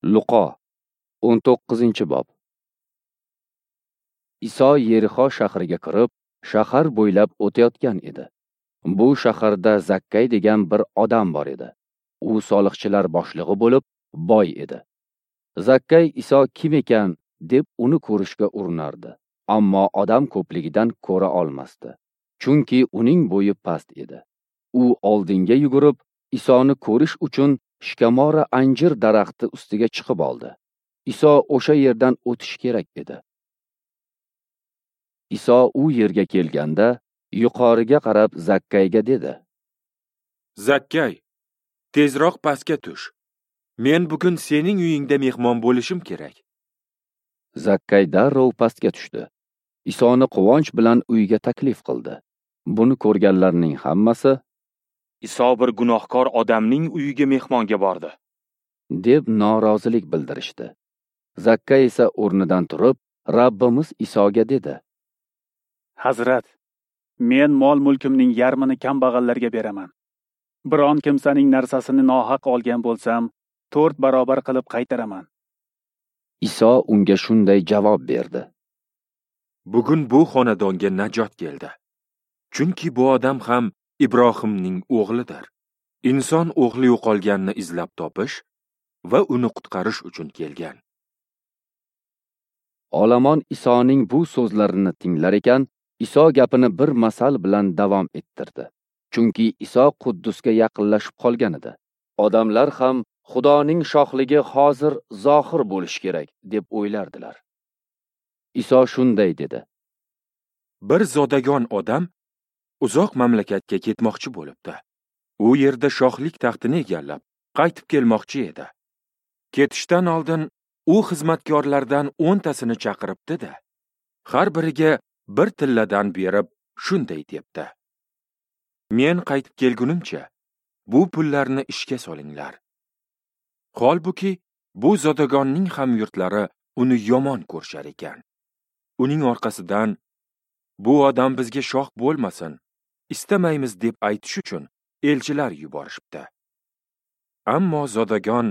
Luqo 19-bob. Iso Yerixo shahriga kirib, shahar bo'ylab o'tayotgan edi. Bu shaharda Zakkay degan bir odam bor edi. U soliqchilar boshlig'i bo'lib, boy edi. Zakkay Iso kim ekan deb uni ko'rishga urinardi, ammo odam ko'pligidan ko'ra olmasdi. Chunki uning bo'yi past edi. U oldinga yugurib, Isoni ko'rish uchun shikamora anjir daraxti ustiga chiqib oldi. Iso o'sha yerdan o'tish kerak edi. Iso u yerga kelganda, yuqoriga qarab Zakkayga dedi: "Zakkay, tezroq pastga tush. Men bugun sening uyingda mehmon bo'lishim kerak." Zakkay darrov pastga tushdi. Isoni quvonch bilan uyga taklif qildi. Buni ko'rganlarning hammasi: "Iso bir gunohkor odamning uyiga mehmonga bordi", deb norozilik bildirishdi. Zakkay esa o'rnidan turib, Rabbimiz Isoga dedi: "Hazrat, men mol-mulkimning yarmini kambag'allarga beraman. Biron kimsaning narsasini nohaq olgan bo'lsam, 4 barobar qilib qaytaraman." Iso unga shunday javob berdi: "Bugun bu xonadonga najot keldi. Chunki bu odam ham Ibrohimning o'g'lidir. Inson o'g'li yo'qolganni izlab topish va uni qutqarish uchun kelgan." Olomon Isoning bu so'zlarini tinglar ekan, Iso gapini bir masal bilan davom ettirdi. Chunki Iso Quddusga yaqinlashib qolgan edi. Odamlar ham Xudoning shohligi hozir zohir bo'lishi kerak deb o'ylardilar. Iso shunday dedi: "Bir zodagon odam uzoq mamlakatga ketmoqchi bo'libdi. U yerda shohlik taxtini egallab, qaytib kelmoqchi edi. Ketishdan oldin u xizmatkorlardan 10 tasini chaqiribdi-da, har biriga bir tilladan berib shunday debdi: Men qaytib kelgunimcha bu pullarni ishga solinglar." Holbuki bu zodagonning ham yurtlari uni yomon ko'rishar ekan. Uning orqasidan "Bu odam bizga shoh bo'lmasin, istamaymiz" deb aytish uchun elchilar yuborishibdi. Ammo zodagon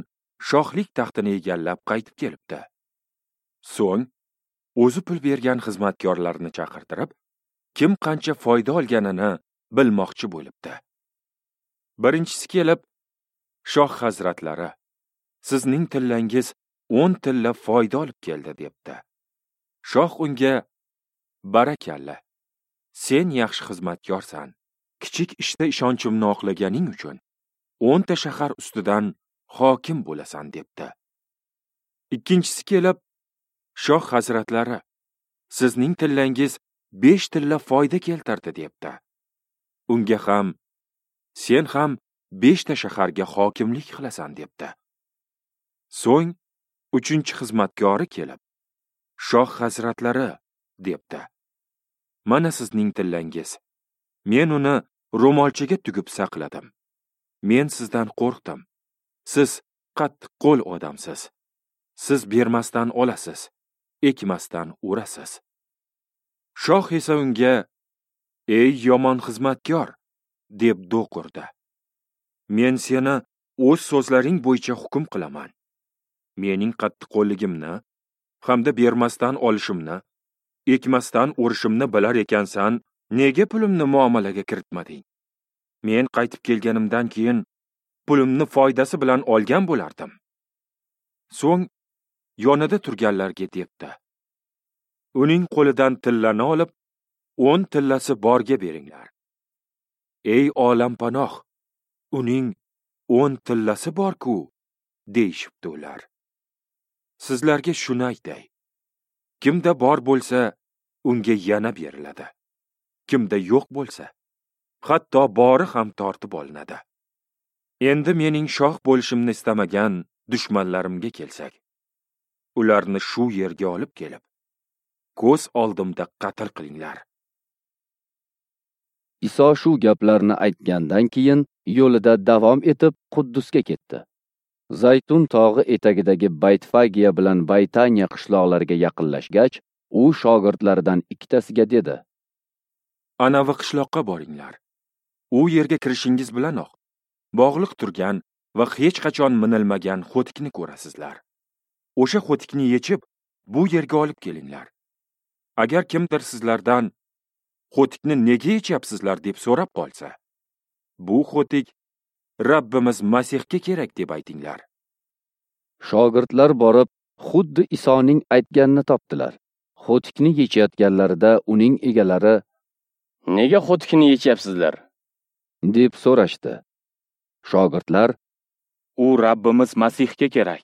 shohlik taxtini egallab qaytib kelibdi. So'ng o'zi pul bergan xizmatkorlarni chaqirtirib, kim qancha foyda olganini bilmoqchi bo'libdi. Birinchisi kelib, "Shoh hazratlari, sizning tillangiz 10 tilla foyda olib keldi" debdi. Shoh unga: "Barakalla, sen yaxshi xizmatkorsan. Kichik ishda ishonchimni oqlaganing uchun 10 ta shahar ustidan hokim bo'lasan" debdi. Ikkinchisi kelib, "Shoh hazratlari, sizning tillangiz 5 tilla foyda keltirdi" debdi. Unga ham, "Sen ham 5 ta shaharga hokimlik qilasan" debdi. So'ng uchinchi xizmatkori kelib, "Shoh hazratlari" debdi, "Mana sizning tillangiz. Men uni ro'molchaga tugib saqladim. Men sizdan qo'rqdim. Siz qattiq qo'l odamsiz. Siz bermasdan olasiz, ekmasdan o'rasiz." Shoh esa unga: "Ey yomon xizmatkor" deb do'q urdi. "Men seni o'z so'zlaring bo'yicha hukm qilaman. Mening qattiqqo'lligimni hamda bermasdan olishimni, ekmasdan o'rishimni bilar ekansan, nega pulimni muomalaga kiritmading? Men qaytib kelganimdan keyin pulimni foydasi bilan olgan bo'lardim." So'ng yonida turganlarga debdi: "Uning qo'lidan tillani olib, 10 tillasi borga beringlar. Ey olampanoh, uning 10 tillasi bor-ku" deyishibdi ular. Sizlarga shuni aytay: kimda bor bo'lsa, unga yana beriladi. Kimda yo'q bo'lsa, hatto bori ham tortib olinadi. Endi mening shoh bo'lishimni istamagan dushmanlarimga kelsak, ularni shu yerga olib kelib, ko'z oldimda qatl qilinglar. Iso shu gaplarni aytgandan keyin yo'lida davom etib Quddusga ketdi. Zaytun tog'i etagidagi Baytfagiya bilan Baytaniya qishloqlariga yaqinlashgach, u shogirdlaridan ikkitasiga dedi: "Anavi qishloqqa boringlar. U yerga kirishingiz bilanoq bog'liq turgan va hech qachon minilmagan xo'tikni ko'rasizlar. O'sha xo'tikni yechib, bu yerga olib kelinglar. Agar kimdir sizlardan xo'tikni nega yechyapsizlar deb so'rab qolsa, bu xo'tik Rabbimiz Masihga kerak deb aytinglar. Shogirdlar borib, xuddi Isoning aytganini topdilar. Xo'tikni yechayotganlarida uning egalari: "Nega xo'tikni yechyapsizlar?" deb so'rashdi. Shogirdlar: "U Rabbimiz Masihga kerak"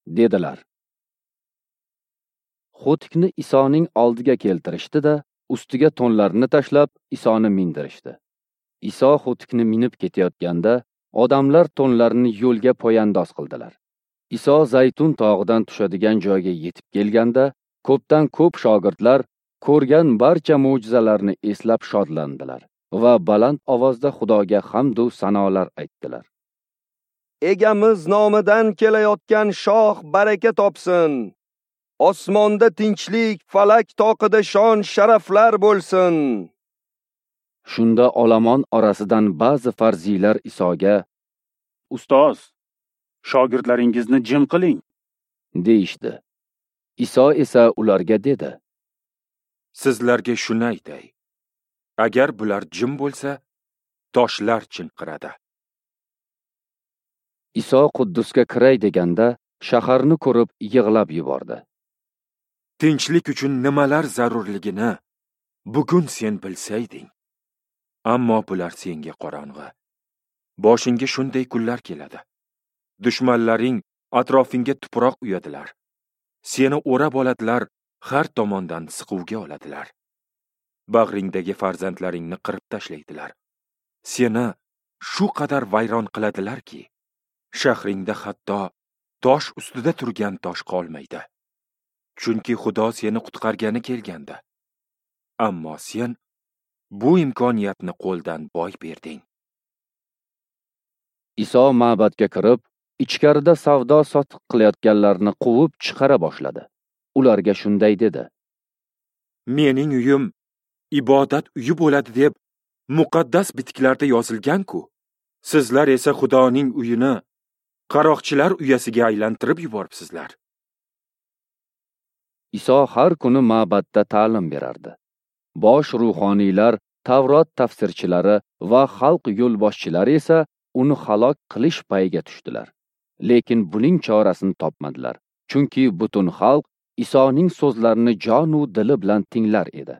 dedilar. Xo'tikni Isoning oldiga keltirishdi-da, ustiga to'nlarini tashlab, Isoni mindirishdi. Iso xo'tikni minib ketayotganda, odamlar to'nlarini yo'lga poyandoz qildilar. Iso Zaytun tog'idan tushadigan joyga yetib kelganda, ko'pdan ko'p shogirdlar ko'rgan barcha mo'jizalarni eslab shodlandilar va baland ovozda Xudoga hamd u sanolar aytdilar. Egamiz nomidan kelayotgan shoh baraka topsin. Osmonda tinchlik, falak toqida shon sharaflar bo'lsin. Shunda olomon orasidan ba'zi farziylar Isoga: "Ustoz, shogirdlaringizni jim qiling" deyishdi. Iso esa ularga dedi: "Sizlarga shuni aytay, agar bular jim bo'lsa, toshlar chinqiradi." Iso Quddusga kiray deganda, shaharni ko'rib yig'lab yubordi. Tinchlik uchun nimalar zarurligini bugun sen bilsayding. Ammo bular senga qorong'i. Boshingga shunday kunlar keladi. Dushmanlaring atrofingga tuproq uyadilar. Seni o'rab oladilar, har tomondan siquvga oladilar. Bag'ringdagi farzandlaringni qirib tashlaydilar. Seni shu qadar vayron qiladilarki, shahringda hatto tosh ustida turgan tosh qolmaydi. Chunki Xudo seni qutqargani kelganda. Ammo sen bu imkoniyatni qo'ldan boy berding. Iso ma'badga kirib, ichkarida savdo sotiq qilayotganlarni quvib chiqara boshladi. Ularga shunday dedi: "Mening uyim ibodat uyi bo'ladi deb muqaddas bitiklarda yozilgan-ku. Sizlar esa Xudoning uyini qaroqchilar uyasiga aylantirib yuboribsizlar." Iso har kuni ma'badda ta'lim berardi. Bosh ruhoniylar, Tavrot tafsirchilari va xalq yo'lboshchilari esa uni halok qilish payiga tushdilar. Lekin buning chorasini topmadilar, chunki butun xalq Isoning so'zlarini jonu dili bilan tinglar edi.